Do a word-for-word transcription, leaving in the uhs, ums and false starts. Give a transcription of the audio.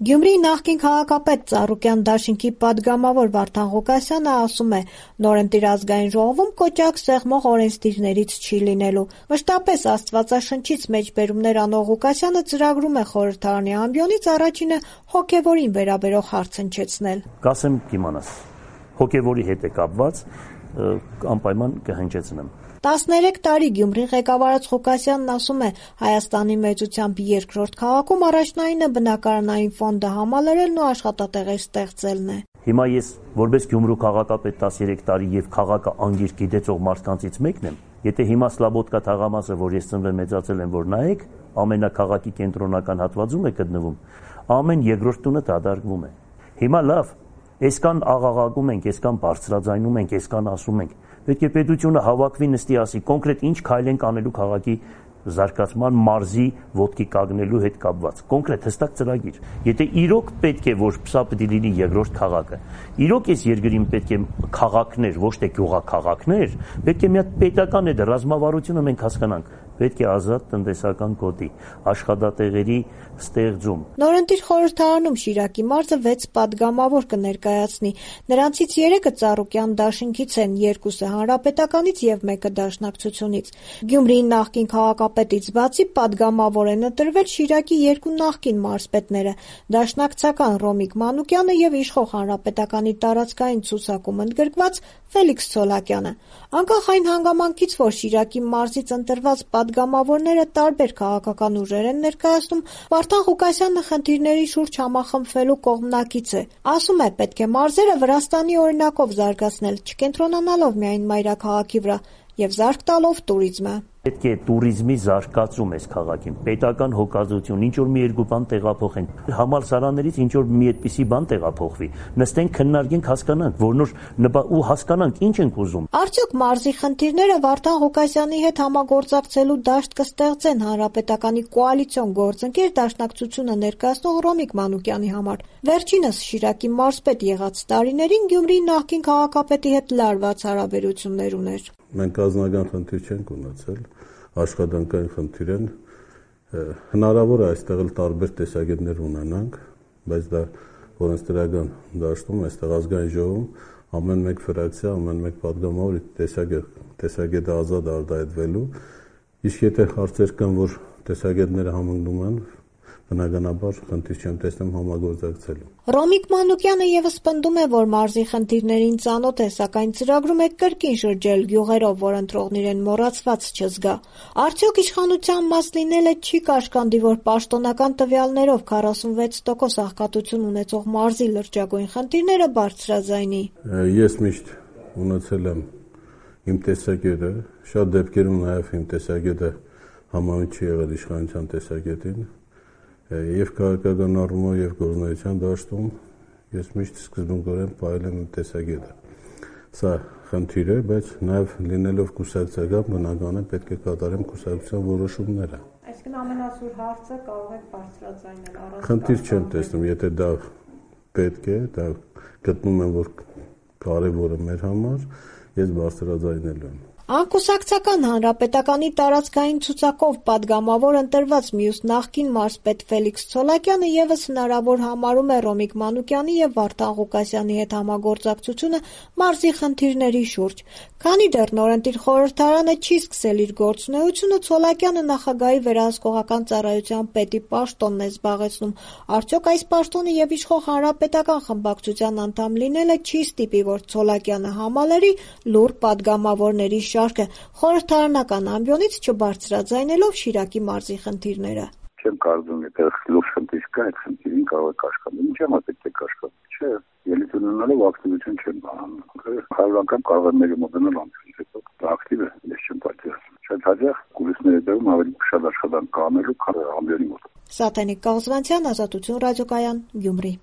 Գյումրիի նախկին քաղաքապետ Ծառուկյան դաշինքի պատգամավոր Վարդան Ղուկասյանը ասում է՝ նորընտիր ազգային ժողովում կոճակ սեղմող օրենսդիրներից չի լինելու։ Մշտապես աստվածաշնչից մեջբերումներ անող Ղուկասյանը ծրագրում է խորհրդարանի ամբիոնից առաջինը հոգևորին վերաբերող հարց հնչեցնել։ Կասեմ կիմանաս, հոգևորի հետ է կապված, անպայման կհնչեցնեմ։ տասներեք տարի Գյումրին ղեկավարած Ղուկասյանն ասում է՝ Հայաստանի մեծությամբ երկրորդ քաղաքում առաջնայինը բնակարանային ֆոնդը համալրելն ու աշխատատեղեր ստեղծելն է։ Հիմա ես որպես Գյումրու քաղաքապետ տասներեք տարի եւ քաղաքը անգիր գիտեցող մարդկանցից մեկն եմ, եթե հիմա Սլաբոդկա թաղամասը, որ ես ծնվել մեծացել եմ, որ նայեք, ամենակաղաքի կենտրոնական հատվածում է գտնվում, ամեն երկրորդ տունը դադարվում է։ Հիմա լավ, այսքան աղաղակում ենք, այսքան բարձրաձայնում ենք, այսքան ասում ենք, պետք է պետությունը հավաքվի նստի ասի կոնկրետ ինչ քայլ ենք անելու քաղաքի զարգացման, մարզի ոտքի կանգնելու հետ կապված, կոնկրետ հստակ ծրագիր։ Եթե իրոք պետք է, որ սա պետք է լինի երկրորդ քաղաքը, իրոք այս երկրին պետք է քաղաքներ, ոչ թե գյուղաքաղաքներ, պետք է մի հատ պետական այդ ռազմավարությունը մենք հասկանանք, պետք է ազատ տնտեսական գոտի, աշխատատեղերի ստեղծում։ Նորընտիր խորհրդարանում Շիրակի մարզը վեց պատգամավոր կներկայացնի։ Նրանցից երեքը Ծառուկյան դաշինքից են, երկուսը հանրապետականից եւ մեկը դաշնակցությունից։ Գյումրիի նախկին քաղաքապետից բացի պատգամավոր են ընտրվել Շիրակի երկու նախկին մարզպետները՝ դաշնակցական Ռոմիկ Մանուկյանը եւ իշխող հանրապետականի տարածքային ցուցակում ընդգրկված Ֆելիքս Ցոլակյանը։ Անկախ այն հանգամանքից, որ Շիրակի մարզից ընտրված պատգամավորները տարբեր քաղաքական ուժեր են ներկայացնում, Վարդան Ղուկասյանը խնդիրների շուրջ համախմբվելու կողմնակից է։ Ասում է՝ պետք է մարզերը Վրաստանի օրինակով զարգացնել, չկենտրոնանալով միայն մայրաքաղաքի վրա եւ զարկ տալով տուրիզմը։ Պետք է տուրիզմի զարգացում այս քաղաքին, պետական հոգացություն, ինչ որ մի երկու բան տեղափոխենք, համալսարաններից ինչ որ մի այդպիսի բան տեղափոխվի, նստենք, քննարկենք, հասկանանք, որնոր ու հասկանանք ինչ ենք ուզում։ Արդյոք մարզի խնդիրները Վարդան Ղուկասյանի հետ համագործակցելու դաշտ կստեղծեն հանրապետականի կոալիցիոն գործընկեր դաշնակցությունը ներկայացնող Ռոմիկ Մանուկյանի համար։ Վերջինս Շիրակի մարզպետ եղած տարիներին Գյումրիի նախկին քաղաքապետի հետ լարված հարաբերություններ ուներ։ Մենք ազնական խնդիր չենք ունեցել, աշխատանքային խնդիր են, հնարավոր է այստեղ էլ տարբեր տեսակետներ ունենանք, բայց դա օրենսդրական դաշտում, այստեղ ազգային ժողովում ամեն մեկ ֆրակցիա, ամեն մեկ պատգամավոր տեսակետը ազատ արտահայտվելու, իսկ եթե հարցեր կան, որ տեսակետները համընկնում են, բնականաբար խնդիր չեմ տեսնում համագործակցելու։ Ռոմիկ Մանուկյանը եւս պնդում է, որ մարզի խնդիրներին ծանոթ է, սակայն ծրագրում է կրկին շրջել գյուղերով, որ ընտրողն իրեն մոռացված չզգա։ Արդյոք իշխանության մաս լինելը չի կաշկանդի, որ պաշտոնական տվյալներով քառասունվեց տոկոս աղքատություն ունեցող մարզի լրջագույն խնդիրները բարձրաձայնի։ Ես միշտ ունեցել եմ իմ տեսակետը, շատ դեպքերում նաեւ իմ տեսակետը համահունչ չի եղել իշխանության տեսակետին։ Եվ քաղաքական առումով եւ գործնական դաշտում ես միշտ սկզբունքորեն պահել եմ տեսակետը։ Սա խնդիր է, բայց նաեւ լինելով կուսակցական բնական է պետք է կատարեմ կուսակցության որոշումները։ Այսինքն ամենասուր հարցը կարող եք բարձրաձայնել առանց։ Խնդիր չեմ տեսնում, եթե դա պետք է, դա գտնում եմ, որ կարեւոր է մեր համար, ես բարձրաձայնելու եմ։ Անկուսակցական հանրապետականի տարածքային ցուցակով պատգամավոր ընտրված մյուս նախկին մարզպետ Ֆելիքս Ցոլակյանը եւս հնարավոր համարում է Ռոմիկ Մանուկյանի եւ Վարդան Ղուկասյանի հետ համագործակցությունը մարզի խնդիրների շուրջ։ Քանի դեռ նորընտիր խորհրդարանը չի սկսել իր գործունեությունը, Ցոլակյանը նախագահի վերահսկողական ծառայության պետի պաշտոնն է զբաղեցնում։ Արդյոք այս պաշտոնը եւ իշխող հանրապետական խմբակցության անդամ լինելը չի ստիպի, որ Ցոլակյանը համալրի լուռ պատգամավորների շարքը խորհրդարանական ամբիոնից չբարձրաձայնելով Շիրակի մարզի խնդիրները։ Չեմ կարծում, եթե լուրջ խնդիր կա, այդ խնդիրին կարող է կաշկանդել։ Ինչի՞ համար պետք է կաշկանդել։ Չէ, ելույթ ունենալով ակտիվություն չեմ բանում։ Հարյուր անգամ կարող եմ մեկը մոտենալ ամբիոնից, հետո դա ակտիվ է, ես չեմ պատճառում։ Շատ հաճախ կուլիսների դերում ավելի շատ աշխատանք կանելու, քան ամբիոնի մոտ։ Սաթենիկ Կաղզվանցյան, Ազատություն ռադիոկայան, Գյումրի։